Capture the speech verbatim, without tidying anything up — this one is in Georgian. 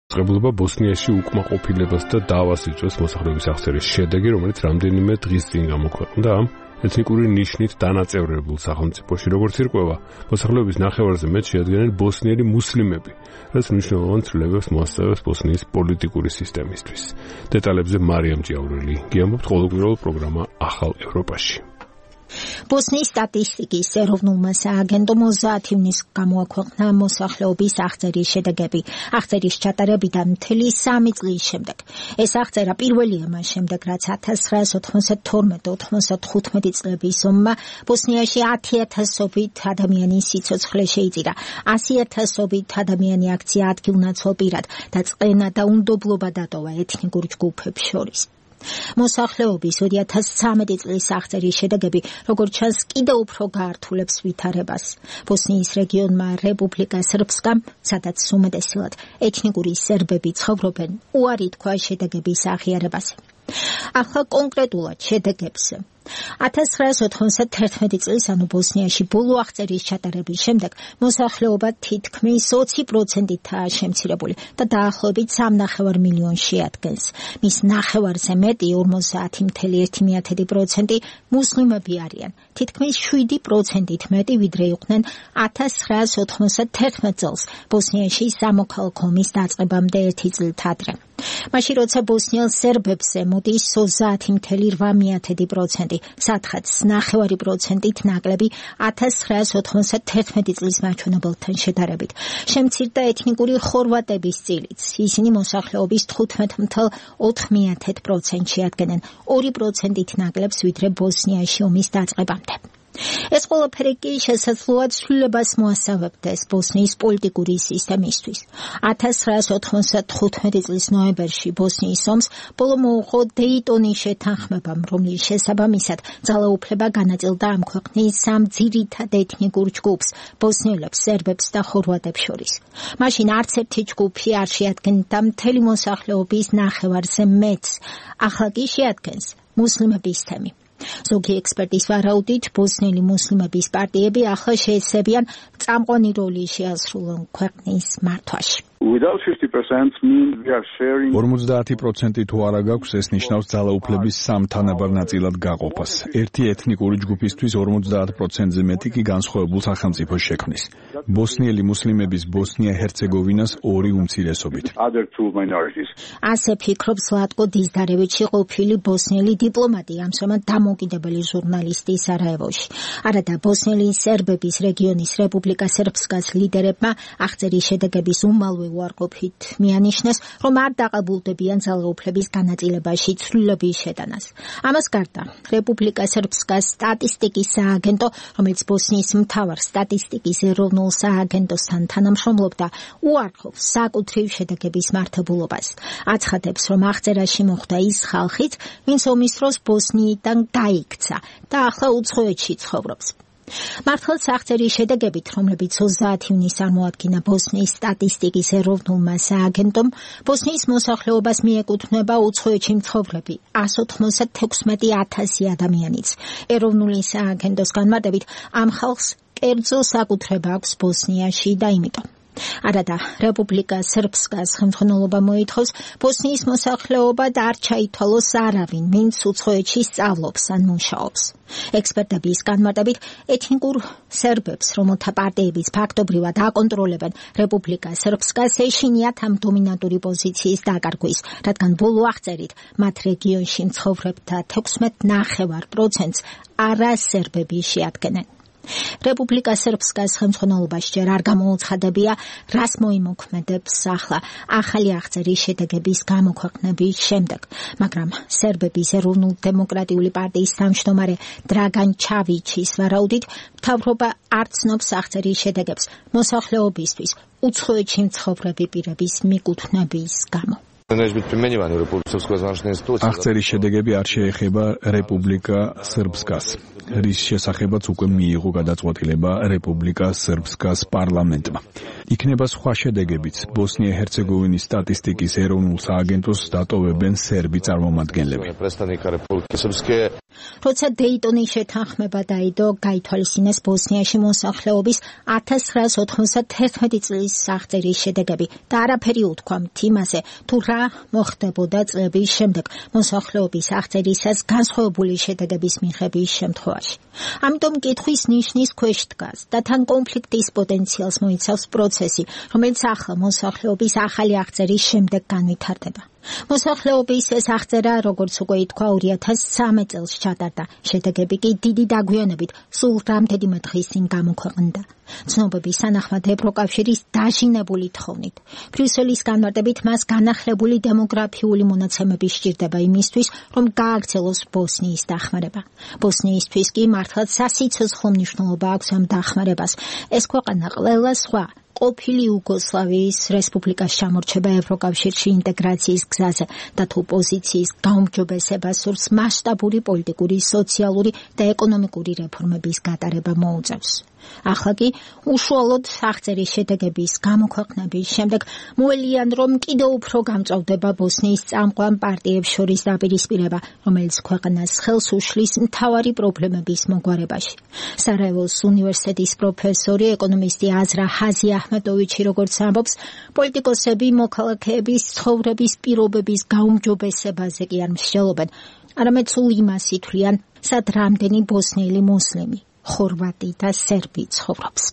ღებულობა ბოსნიაში უკმაყოფილებას და დავას იწვევს მოსახლეობის აღწერის შედეგი, რომელიც რამდენიმე დღის წინ გამოქვეყნდა ამ ეთნიკური ნიშნით დანაწევრებულ სახელმწიფოში, როგორც ირკვევა, მოსახლეობის ნახევარზე მეტ შეადგენენ ბოსნიელი მუსლიმები, რაც მნიშვნელოვან ცვლილებებს მოასწავებს ბოსნიის პოლიტიკური სისტემისთვის. დეტალებზე მარიამ ჭიაურელი გიამბობთ ყოველკვირეულ პროგრამა ახალ ევროპაში. ბოსნიის სტატისტიკის ეროვნულმა სააგენტომ ოცდაათი ივნისს გამოაქვეყნა მოსახლეობის აღწერის შედეგები. აღწერის ჩატარებიდან მთელი სამი წლის შემდეგ. ეს აღწერა პირველია მას შემდეგ, რაც ათას ცხრაას ოთხმოცდათორმეტ ოთხმოცდათხუთმეტი წლების ომმა ბოსნიაში ათი ათასობით ადამიანის სიცოცხლე შეიწირა. ასი ათასობით ადამიანი აქცია ადგილნაცვალ პირად და წყენა და უნდობლობა დატოვა ეთნიკურ ჯგუფებს შორის. მოსახლეობის ორი ათას ცხრამეტი წლის აღწერის შედეგები, როგორც ჩანს, კიდევ უფრო გაართულებს ვითარებას. ბოსნიის რეგიონმა რეპუბლიკა სრბსკამ, სადაც უმეტესად ეთნიკური სერბები ცხოვრობენ, უარი თქვა შედეგების აღიარებაზე. ახლა კონკრეტულად შედეგებს. ათას ცხრაას ოთხმოცდათერთმეტი წლის, ანუ ბოსნიაში ბოლო აღწერის ჩატარების შემდეგ, მოსახლეობა თითქმის ოცი პროცენტითაა შემცირებული და დაახლოებით სამნახევარ მილიონს შეადგენს. მის ნახევარზე მეტი, ორმოცდაათი целых ერთი დесятых პროცენტი მუსლიმები არიან, თითქმის შვიდი პროცენტით მეტი, ვიდრე იყვნენ ათას ცხრაას ოთხმოცდათერთმეტ წელს, ბოსნიაში სამოქალაქო ომის დაწყებამდე ერთი წლით ადრე. მაშინ როცა ბოსნიელ სერბებზე მოდის ოცდაათი целых ოთხ დесятых პროცენტი, სათხაც ნახევარი პროცენტით ნაკლები ათას ცხრაას ოთხმოცდათერთმეტი წლის მაჩვენებელთან შედარებით. შემცირდა ეთნიკური ხორვატების წილიც. ისინი მოსახლეობის თხუთმეტ целых ოთხ დесятых პროცენტს შეადგენენ, ორი პროცენტით ნაკლებს, ვიდრე ბოსნიაში ომის დაწყებამდე. ეს ყველაფერი კი შესაძლოა ცვლილებას მოასწავებდეს ბოსნიის პოლიტიკური სისტემისთვის. ათას ცხრაას ოთხმოცდათხუთმეტი წლის ნოემბერში ბოსნიის ომს ბოლო მოუღო დეიტონის შეთანხმებამ, რომლის შესაბამისად ძალაუფლება განაწილდა ამ ქვეყნის სამ ძირითად ეთნიკურ ჯგუფს, ბოსნიელებს, სერბებს და ხორვატებს შორის. მაშინ არც ერთი ჯგუფი არ შეადგენდა მთელი მოსახლეობის ნახევარზე მეტს, ახლა კი შეადგენს მუსლიმების თემი. ზოგი ექსპერტის ვარაუდით, ბოსნიელი მუსლიმების პარტიები ახლა შეეცებიან წამყვანი როლი შეასრულონ ქვეყნის მართვაში. ორმოცდაათი პროცენტი თუ არა გაქვს, ეს ნიშნავს ძალაუფლების სამ თანაბარ ნაწილად გაყოფას. ერთი ეთნიკური ჯგუფისთვის ორმოცდაათ პროცენტზე მეტი კი განსხვავებულ სახელმწიფოს შექმნის. ბოსნიელი მუსლიმების ბოსნია-ჰერცეგოვინას ორი უმცირესობით. ასე ფიქრობს ლატკო დიზდარევიჩი, ყოფილი ბოსნიელი დიპლომატი, ამჟამად დამოუკიდებელი ჟურნალისტი სარაევოში. არადა ბოსნიელი სერბების რეგიონის რეპუბლიკა სერბსკას ლიდერებმა აღწერის შედეგების უმალვე უარყოფით მიანიშნეს, რომ არ დაყებულდებიან ძალაუფლების განაწილებაში ცვლილების შეტანას. ამას გარდა, რეპუბლიკა სერბსკას სტატისტიკის სააგენტო, რომელიც ბოსნიის მთავარ სტატისტიკის ეროვნულ სააგენტოსთან თანამშრომლობდა, უარყოფს საკუთრივ შედეგების მართებულობას. აცხადებს, რომ აღწერაში მოხვდა ის ხალხიც, ვინც ომის დროს ბოსნიიდან გაიქცა და ახლა უცხოეთში ცხოვრობს. მართლაც აღწერის შედეგებით, რომლებიც ოცდაათი ივნისს წარმოადგინა ბოსნიის სტატისტიკის ეროვნულმა სააგენტომ, ბოსნიის მოსახლეობას მიეკუთვნება უცხოეთში მცხოვრები ასი ოთხმოცდათექვსმეტი ათასი ადამიანიც. ეროვნული სააგენტოს განმარტებით, ამ ხალხს კერძო საკუთრება აქვს ბოსნიაში და იმიტომ. არადა რეპუბლიკა სერბსკას ხელმძღვანელობა მოითხოვს ბოსნიის მოსახლეობად არ ჩაითვალოს არავინ, ვინც უცხოეთში სწავლობს ან მუშაობს. ექსპერტების განმარტებით, ეთნიკურ სერბებს, რომელთა პარტიებიც ფაქტობრივად აკონტროლებენ რეპუბლიკა სერბსკას, ეშინიათ ამ დომინანტური პოზიციის დაკარგვის, რადგან ბოლო აღწერით მათ რეგიონში მცხოვრებთა თექვსმეტ ნახევარ პროცენტს არასერბები შეადგენენ. რეპუბლიკა სერბსკას ხელმძღვანელობაში ჯერ არ გამოუცხადებია, რას მოიმოქმედებს ახლა ახალი აღწერის შედეგების გამოქვეყნების შემდეგ, მაგრამ სერბების ეროვნულ-დემოკრატიული პარტიის თავმჯდომარე დრაგან ჩავიჩის ვარაუდით, მთავრობა არ ცნობს აღწერის შედეგებს მოსახლეობისთვის უცხოეთში მცხოვრები პირების მიკუთვნების გამო. აღწერის შედეგები არ შეეხება რეპუბლიკა სერბსკას, რის შესახებაც უკვე მიიღო გადაწყვეტილება რეპუბლიკა სერბსკას პარლამენტმა. იქნება სხვა შედეგებიც, ბოსნია-ჰერცეგოვინის სტატისტიკის ეროვნულ სააგენტოს დატოვებენ სერბი წარმომადგენლები. როცა დეიტონის შეთანხმება დაიდო, გაითვალისწინეს ბოსნიაში მოსახლეობის ათას ცხრაას ოთხმოცდათერთმეტი წლის აღწერის შედეგები და არაფერი უთქვა იმაზე, თუ რა მოხდებოდა წლების შემდეგ მოსახლეობის აღწერისას განსხვავებული შედეგების მიღების შემთხვევაში. ამიტომ კითხვის ნიშნის ქვეშ დგას და თან კონფლიქტის პოტენციალს მოიცავს პროცესი, რომელიც ახლა მოსახლეობის ახალი აღწერის შემდეგ განვითარდება. მოსახლეობის ეს აღწერა, როგორც უკვე ითქვა, ორი ათას სამი წელს ჩატარდა. შედეგები კი დიდი დაგვიანებით სულ რამდენიმე დღის წინ გამოქვეყნდა. ცნობების თანახმად ევროკავშირის დაჟინებული თხოვნით, ბრიუსელის განმარტებით მას განახლებული დემოგრაფიული მონაცემები სჭირდება იმისთვის, რომ გააგრძელოს ბოსნიის დახმარება. ბოსნიისთვის კი მართლაც სასიცოცხლო მნიშვნელობა აქვს ამ დახმარებას. ეს ქვეყანა ყველა სხვა ყოფილი იუგოსლავიის რესპუბლიკას ჩამორჩება ევროკავშირში ინტეგრაციის გზაზე და თუ პოზიციის გაუმჯობესებას სურს მასშტაბური პოლიტიკური, სოციალური და ეკონომიკური რეფორმების გატარება მოუწევს. ახლა კი უშუალოდ აღწერის შედეგების გამოქვეყნების შემდეგ მოელიან, რომ კიდევ უფრო გამწვავდება ბოსნიის წამყვან პარტიებს შორის დაპირისპირება, რომელიც ქვეყანას ხელს უშლის მთავარი პრობლემების მოგვარებაში. სარაევოს უნივერსიტეტის პროფესორი, ეკონომისტი აზრა ჰაზი აჰმედოვიჩი როგორც ამბობს, პოლიტიკოსები მოქალაქეების ცხოვრების პირობების გაუმჯობესებაზე კი არ მსჯელობენ, არამედ სულ იმას ითვლიან, სად რამდენი ბოსნიელი მუსლიმი, ხორვატი და სერბი ცხოვრობს.